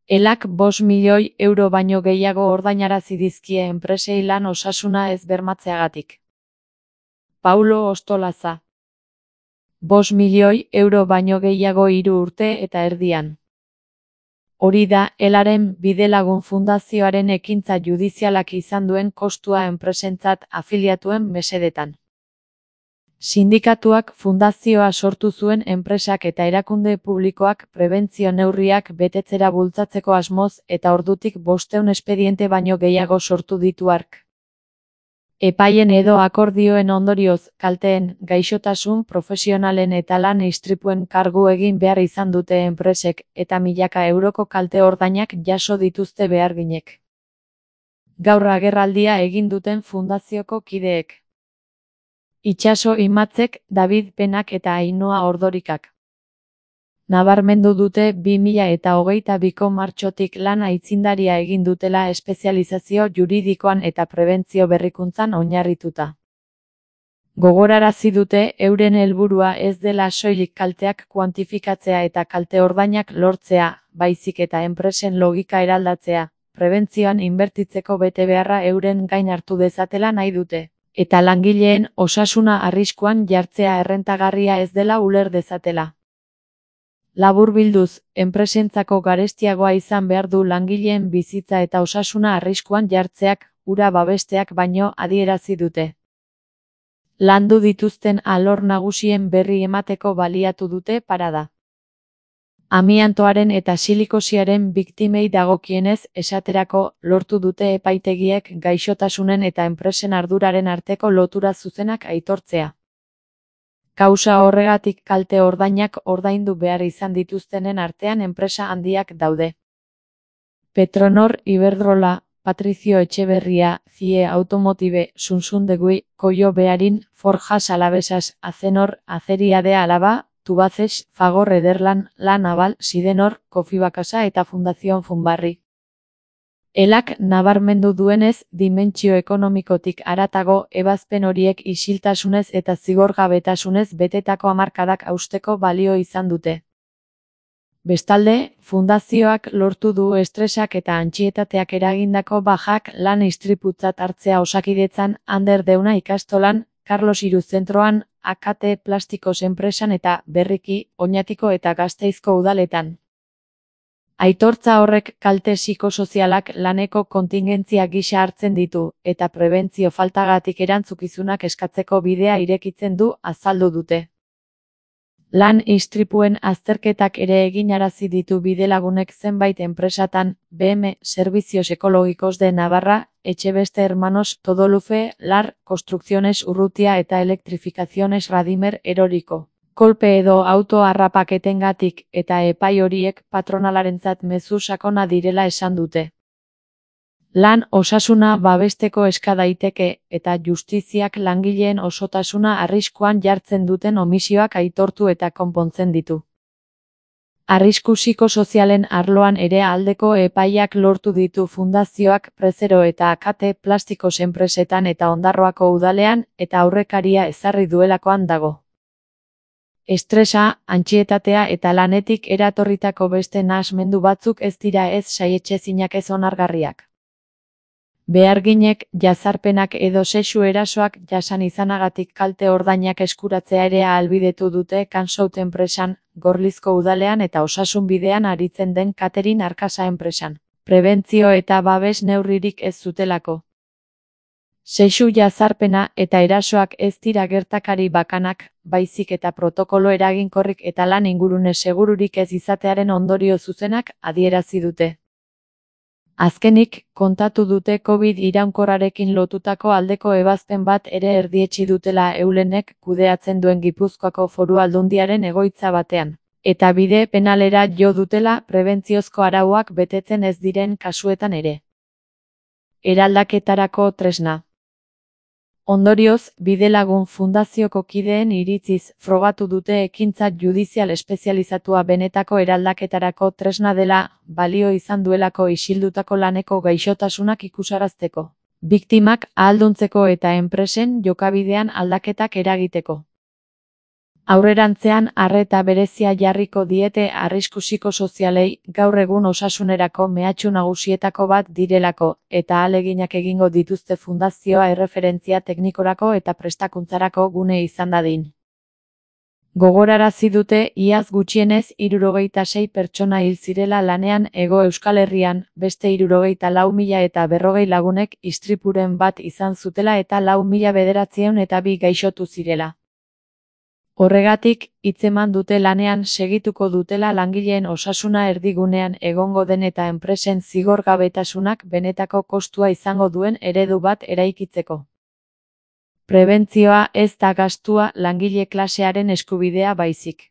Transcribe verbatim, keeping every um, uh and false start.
Elak bost milioi euro baino gehiago ordainarazi dizkie enpresei lan osasuna ez bermatzeagatik. Paulo Ostolaza. Bost milioi euro baino gehiago hiru urte eta erdian. Hori da Elaren Bidelagun Fundazioaren ekintza judizialak izan duen kostua enpresentzat afiliatuen mesedetan. Sindikatuak fundazioa sortu zuen enpresak eta erakunde publikoak prebentzio neurriak betetzera bultzatzeko asmoz eta ordutik bostehun espediente baino gehiago sortu ditu hark. Epaien edo akordioen ondorioz, kalteen, gaixotasun profesionalen eta lan istripuen kargu egin behar izan dute enpresek eta milaka euroko kalte ordainak jaso dituzte beharginek. Gaur agerraldia egin duten fundazioko kideek. Itxaso Imatzek, David Penak eta Ainhoa Ordorikak. Nabarmendu dute bi mila eta hogeita biko martxotik lan aitzindaria egin dutela espezializazio juridikoan eta prebentzio berrikuntzan oinarrituta. Gogorarazi dute euren helburua ez dela soilik kalteak kuantifikatzea eta kalte ordainak lortzea, baizik eta enpresen logika eraldatzea, prebentzioan inbertitzeko betebeharra euren gain hartu dezatela nahi dute, eta langileen osasuna arriskuan jartzea errentagarria ez dela uler dezatela. Laburbilduz, enpresentzako garestiagoa izan behar du langileen bizitza eta osasuna arriskuan jartzeak, hura babesteak baino adierazi dute. Landu dituzten alor nagusien berri emateko baliatu dute parada. Amiantoaren eta silikosiaren biktimei dagokienez esaterako lortu dute epaitegiek gaixotasunen eta enpresen arduraren arteko lotura zuzenak aitortzea. Kausa horregatik kalte ordainak ordaindu behar izan dituztenen artean enpresa handiak daude. Petronor Iberdrola, Patricio Etxeberria, C I E Automotive, Sunsundegui, Koio Bearin, Forjas Alavesas, Acenor, Aceriade Alaba, Tubaces, Fagor Ederlan, La Naval, Sidenor, Kofibakasa eta Fundación Funbarri. Elak nabarmendu duenez, dimentsio ekonomikotik haratago ebazpen horiek isiltasunez eta zigorgabetasunez betetako hamarkadak hausteko balio izan dute. Bestalde, fundazioak lortu du estresak eta antsietateak eragindako bajak lan istriputzat hartzea Osakidetzan, Ander Deuna ikastolan, Carlos Hiru zentroan, A K T Plastikos enpresan eta berriki, Oñatiko eta Gasteizko udaletan. Aitortza horrek kalte psikosozialak laneko kontingentzia gisa hartzen ditu, eta prebentzio faltagatik erantzukizunak eskatzeko bidea irekitzen du azaldu dute. Lan istripuen azterketak ere eginarazi ditu bidelagunek zenbait enpresatan, B M, Servicios Ekologikos de Navarra, Etxebeste Hermanos, Todolufe, Lar, Construcciones Urrutia eta Elektrifikaciones Radimer Eroriko. Kolpe edo auto harrapaketengatik eta epai horiek patronalarentzat mezu sakona direla esan dute. Lan osasuna babesteko eska daiteke eta justiziak langileen osotasuna arriskuan jartzen duten omisioak aitortu eta konpontzen ditu. Arrisku psikosozialen arloan ere aldeko epaiak lortu ditu fundazioak Prezero eta A K T Plastikos enpresetan eta Ondarroako udalean eta aurrekaria ezarri duelakoan dago. Estresa, antsietatea eta lanetik eratorritako beste nahasmendu batzuk ez dira ez saietsezinak ez onargarriak. Beharginek, jazarpenak edo sexu erasoak jasan izanagatik kalte ordainak eskuratzea ere ahalbidetu dute Kansout enpresan, Gorlizko udalean eta Osasun bidean aritzen den Katerin Arkasa enpresan. Prebentzio eta babes neurririk ez zutelako. Sexu jazarpena eta erasoak ez dira gertakari bakanak, baizik eta protokolo eraginkorrik eta lan ingurune segururik ez izatearen ondorio zuzenak adierazi dute. Azkenik, kontatu dute Covid iraunkorrarekin lotutako aldeko ebazpen bat ere erdietsi dutela Eulenek kudeatzen duen Gipuzkoako Foru Aldundiaren egoitza batean, eta bide penalera jo dutela prebentziozko arauak betetzen ez diren kasuetan ere. Eraldaketarako tresna. Ondorioz, Bidelagun Fundazioko kideen iritziz frogatu dute ekintza judizial espezializatua benetako eraldaketarako tresna dela, balio izan duelako isildutako laneko gaixotasunak ikusarazteko, biktimak ahalduntzeko eta enpresen jokabidean aldaketak eragiteko. Aurrerantzean arreta berezia jarriko diete arrisku psikosozialei, gaur egun osasunerako mehatxu nagusietako bat direlako, eta ahaleginak egingo dituzte fundazioa erreferentzia teknikorako eta prestakuntzarako gune izan dadin. Gogorarazi dute iaz gutxienez hirurogeita sei pertsona hil zirela lanean Hego Euskal Herrian, beste hirurogeita lau mila eta berrogei lagunek istripuren bat izan zutela eta lau mila bederatziehun eta bi gaixotu zirela. Horregatik, hitzeman dute lanean segituko dutela langileen osasuna erdigunean egongo den eta enpresen zigorgabetasunak benetako kostua izango duen eredu bat eraikitzeko. Prebentzioa ez da gastua langile klasearen eskubidea baizik.